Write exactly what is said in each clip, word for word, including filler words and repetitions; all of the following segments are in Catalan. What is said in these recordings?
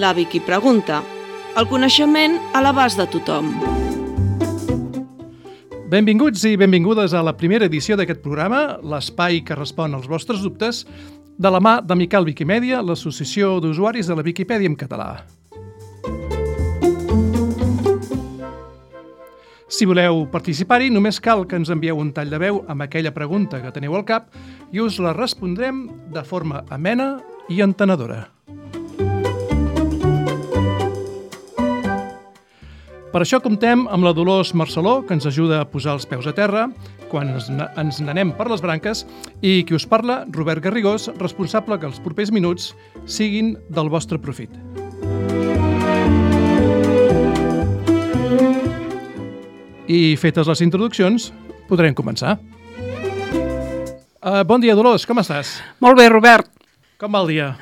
La Vicky pregunta. El coneixement a l'abast de tothom. Benvinguts i benvingudes a la primera edició d'aquest programa, l'espai que respon als vostres dubtes, de la mà d'Amical Wikimèdia, l'associació d'usuaris de la Viquipèdia en català. Si voleu participar-hi, només cal que ens envieu un tall de veu amb aquella pregunta que teniu al cap i us la respondrem de forma amena i entenedora. Per això comptem amb la Dolors Marceló, que ens ajuda a posar els peus a terra quan ens n'anem per les branques, i qui us parla, Robert Garrigós, responsable que els propers minuts siguin del vostre profit. I fetes les introduccions, podrem començar. Uh, bon dia, Dolors, com estàs? Molt bé, Robert. Com va el dia?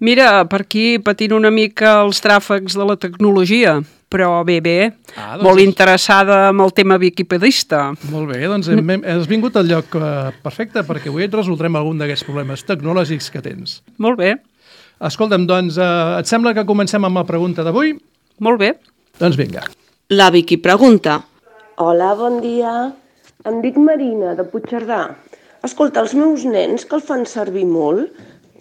Mira, per aquí patint una mica els tràfecs de la tecnologia, però bé, bé, ah, doncs molt és... interessada amb el tema viquipedista. Molt bé, doncs hem, hem, has vingut al lloc uh, perfecte, perquè avui et resoldrem algun d'aquests problemes tecnològics que tens. Molt bé. Escolta'm, doncs, uh, et sembla que comencem amb la pregunta d'avui? Molt bé. Doncs vinga. La Vicky pregunta. Hola, bon dia. Em dic Marina, de Puigcerdà. Escolta, els meus nens, que el fan servir molt,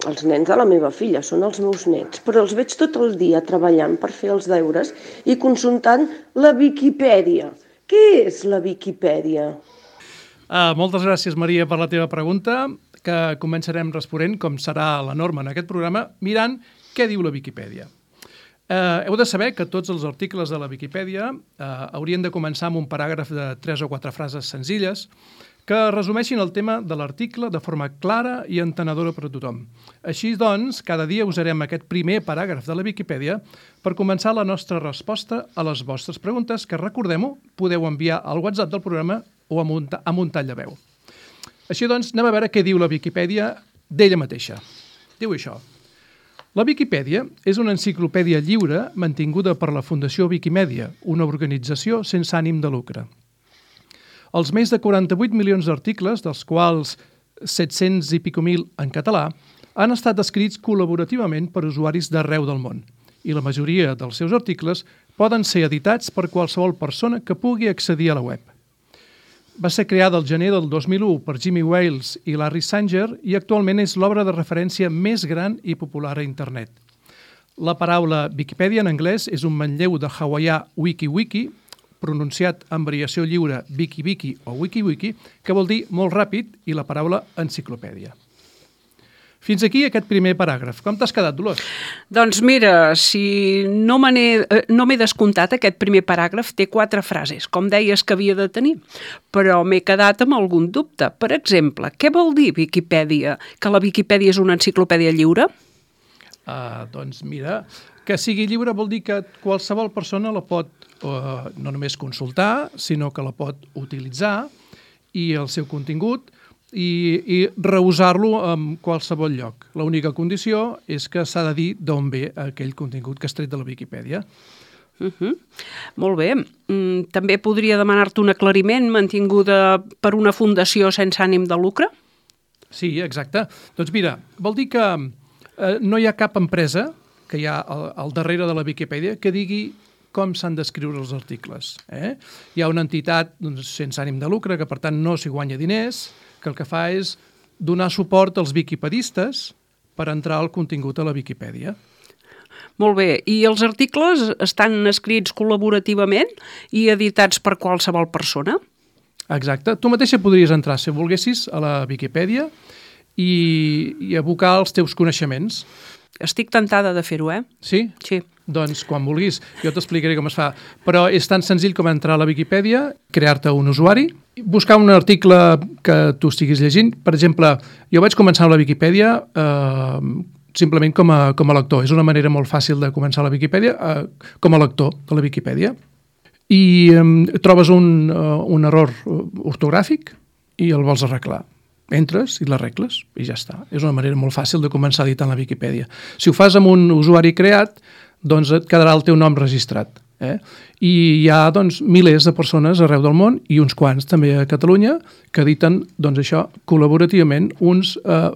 els nens de la meva filla són els meus nets, però els veig tot el dia treballant per fer els deures i consultant la Viquipèdia. Què és la Viquipèdia? Uh, moltes gràcies, Maria, per la teva pregunta, que començarem responent, com serà la norma en aquest programa, mirant què diu la Viquipèdia. Uh, heu de saber que tots els articles de la Viquipèdia uh, haurien de començar amb un paràgraf de tres o quatre frases senzilles que resumeixin el tema de l'article de forma clara i entenedora per a tothom. Així doncs, cada dia usarem aquest primer paràgraf de la Viquipèdia per començar la nostra resposta a les vostres preguntes, que, recordem-ho, podeu enviar al WhatsApp del programa o amb un, amb un tall de veu. Així doncs, anem a veure què diu la Viquipèdia d'ella mateixa. Diu això. La Viquipèdia és una enciclopèdia lliure mantinguda per la Fundació Wikimèdia, una organització sense ànim de lucre. Els més de quaranta-vuit milions d'articles, dels quals set-cents i pico mil en català, han estat escrits col·laborativament per usuaris d'arreu del món, i la majoria dels seus articles poden ser editats per qualsevol persona que pugui accedir a la web. Va ser creada el gener del dos mil u per Jimmy Wales i Larry Sanger i actualment és l'obra de referència més gran i popular a internet. La paraula Viquipèdia en anglès és un manlleu de hawaià wiki-wiki, pronunciat en variació lliure wiki-wiki o wiki-wiki, que vol dir molt ràpid, i la paraula enciclopèdia. Fins aquí aquest primer paràgraf. Com t'has quedat, Dolors? Doncs mira, si no me n'he no m'he descomptat, aquest primer paràgraf té quatre frases, com deies que havia de tenir, però m'he quedat amb algun dubte. Per exemple, què vol dir Viquipèdia? Que la Viquipèdia és una enciclopèdia lliure? Uh, doncs mira, que sigui lliure vol dir que qualsevol persona la pot uh, no només consultar, sinó que la pot utilitzar i el seu contingut i, i reusar-lo en qualsevol lloc. L'única condició és que s'ha de dir d'on ve aquell contingut que has tret de la Viquipèdia. Uh-huh. Molt bé. Mm, també podria demanar-te un aclariment mantinguda per una fundació sense ànim de lucre? Sí, exacte. Doncs mira, vol dir que eh, no hi ha cap empresa que hi ha al, al darrere de la Viquipèdia que digui com s'han d'escriure els articles. Eh? Hi ha una entitat doncs, sense ànim de lucre que, per tant, no s'hi guanya diners, que el que fa és donar suport als viquipedistes per entrar al contingut a la Viquipèdia. Molt bé. I els articles estan escrits col·laborativament i editats per qualsevol persona? Exacte. Tu mateixa podries entrar, si volguessis, a la Viquipèdia i, i abocar els teus coneixements. Estic tentada de fer-ho, eh? Sí? Sí. Doncs quan vulguis, jo t'explicaré com es fa. Però és tan senzill com entrar a la Viquipèdia, crear-te un usuari, buscar un article que tu estiguis llegint. Per exemple, jo vaig començar a la Viquipèdia eh, simplement com a, com a lector. És una manera molt fàcil de començar a la Viquipèdia eh, com a lector de la Viquipèdia. I eh, trobes un, uh, un error ortogràfic i el vols arreglar. Entres i l'arregles i ja està. És una manera molt fàcil de començar a editar la Viquipèdia. Si ho fas amb un usuari creat, doncs et quedarà el teu nom registrat. Eh? I hi ha doncs, milers de persones arreu del món i uns quants també a Catalunya que editen doncs, això col·laborativament. Uns eh,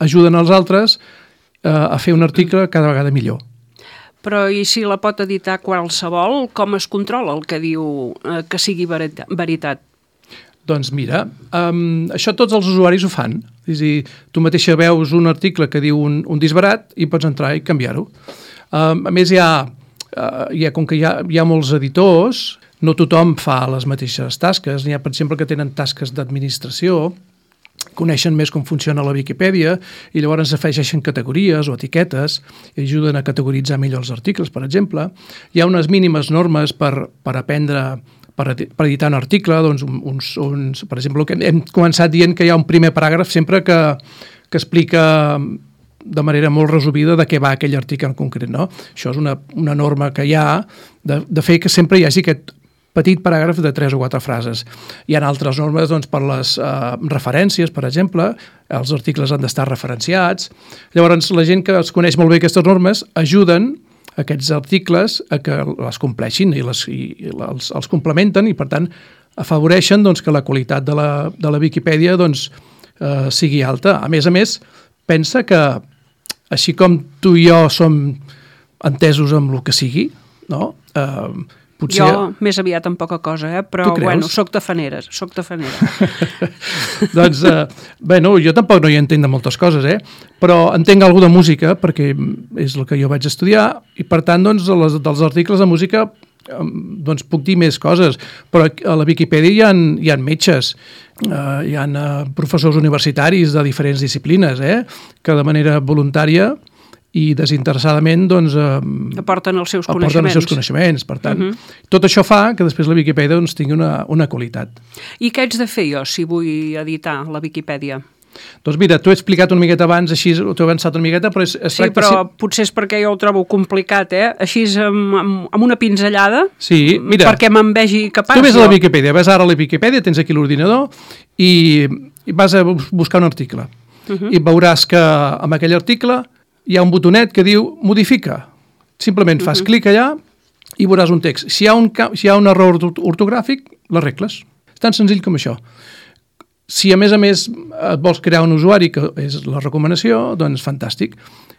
ajuden als altres eh, a fer un article cada vegada millor. Però i si la pot editar qualsevol, com es controla el que diu eh, que sigui verita- veritat? Doncs mira, um, això tots els usuaris ho fan. És a dir, tu mateixa veus un article que diu un, un disbarat i pots entrar i canviar-ho. Um, a més, hi ha, uh, hi ha, com que hi ha, hi ha molts editors, no tothom fa les mateixes tasques. N'hi ha, per exemple, que tenen tasques d'administració, coneixen més com funciona la Viquipèdia i llavors afegeixen categories o etiquetes i ajuden a categoritzar millor els articles, per exemple. Hi ha unes mínimes normes per, per aprendre, per, per editar un article, doncs uns, uns, per exemple, que hem començat dient que hi ha un primer paràgraf sempre que, que explica de manera molt resumida de què va aquell article en concret, no? Això és una, una norma que hi ha de, de fer que sempre hi hagi aquest petit paràgraf de tres o quatre frases. Hi ha altres normes doncs, per les eh, referències, per exemple, els articles han d'estar referenciats. Llavors, la gent que es coneix molt bé aquestes normes ajuden aquests articles a que les compleixin i, les, i els, els complementen i, per tant, afavoreixen doncs, que la qualitat de la, de la Viquipèdia doncs, eh, sigui alta. A més a més, pensa que, així com tu i jo som entesos amb el que sigui, no? Eh, Potser... Jo més aviat en poca cosa, eh? Però bueno, soc tafaneres, soc tafanera. Doncs, eh, bueno, jo tampoc no hi entenc de moltes coses, eh? Però entenc alguna de música, perquè és el que jo vaig estudiar, i per tant, doncs, les, dels articles de música doncs puc dir més coses, però a la Viquipèdia hi ha, hi ha metges, eh, hi ha eh, professors universitaris de diferents disciplines, eh? Que de manera voluntària i desinteressadament doncs, eh, aporten els seus aporten coneixements. els seus coneixements. Per tant, Uh-huh. tot això fa que després la Viquipèdia doncs, tingui una, una qualitat. I què haig de fer jo si vull editar la Viquipèdia? Doncs mira, t'ho he explicat una miqueta abans, així t'ho he avançat una miqueta, però es, es Sí, tracta... però potser és perquè jo ho trobo complicat, eh? Així amb, amb, amb una pinzellada, Sí, mira, perquè me'n vegi capaç. tu ves a jo. la Viquipèdia, ves ara a la Viquipèdia, tens aquí l'ordinador i, i vas a bus- buscar un article. Uh-huh. I veuràs que amb aquell article hi ha un botonet que diu modifica. Simplement fas uh-huh. clic allà i veuràs un text. Si hi ha un, ca- si hi ha un error orto- ortogràfic, l'arregles. És tan senzill com això. Si a més a més et vols crear un usuari, que és la recomanació, doncs fantàstic.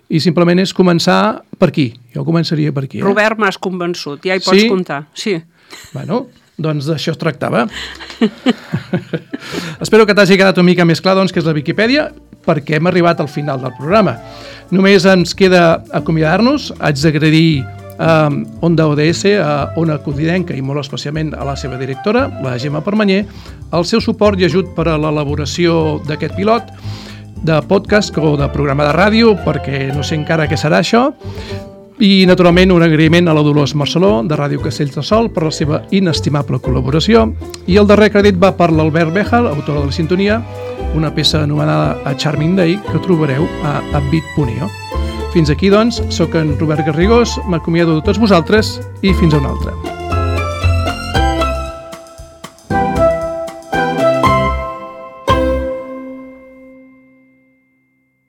I simplement és començar per aquí. Jo començaria per aquí. Eh? Robert, m'has convençut, ja hi pots Sí? comptar. Sí. Bueno, doncs d'això es tractava. Espero que t'hagi quedat una mica més clar doncs, que és la Viquipèdia, perquè hem arribat al final del programa. Només ens queda acomiadar-nos. Haig d'agrair a Onda O D S, a Ona Codinenca i molt especialment a la seva directora, la Gemma Permanyer, el seu suport i ajut per a l'elaboració d'aquest pilot de podcast o de programa de ràdio, perquè no sé encara què serà això. I, naturalment, un agraïment a la Dolors Marceló, de Ràdio Castells de Sol, per la seva inestimable col·laboració. I el darrer crèdit va per l'Albert Béjar, autor de la sintonia, una peça anomenada A Charming Day, que trobareu a upbeat punt i o. Fins aquí, doncs, sóc en Robert Garrigós, m'acomiado de tots vosaltres i fins a una altra.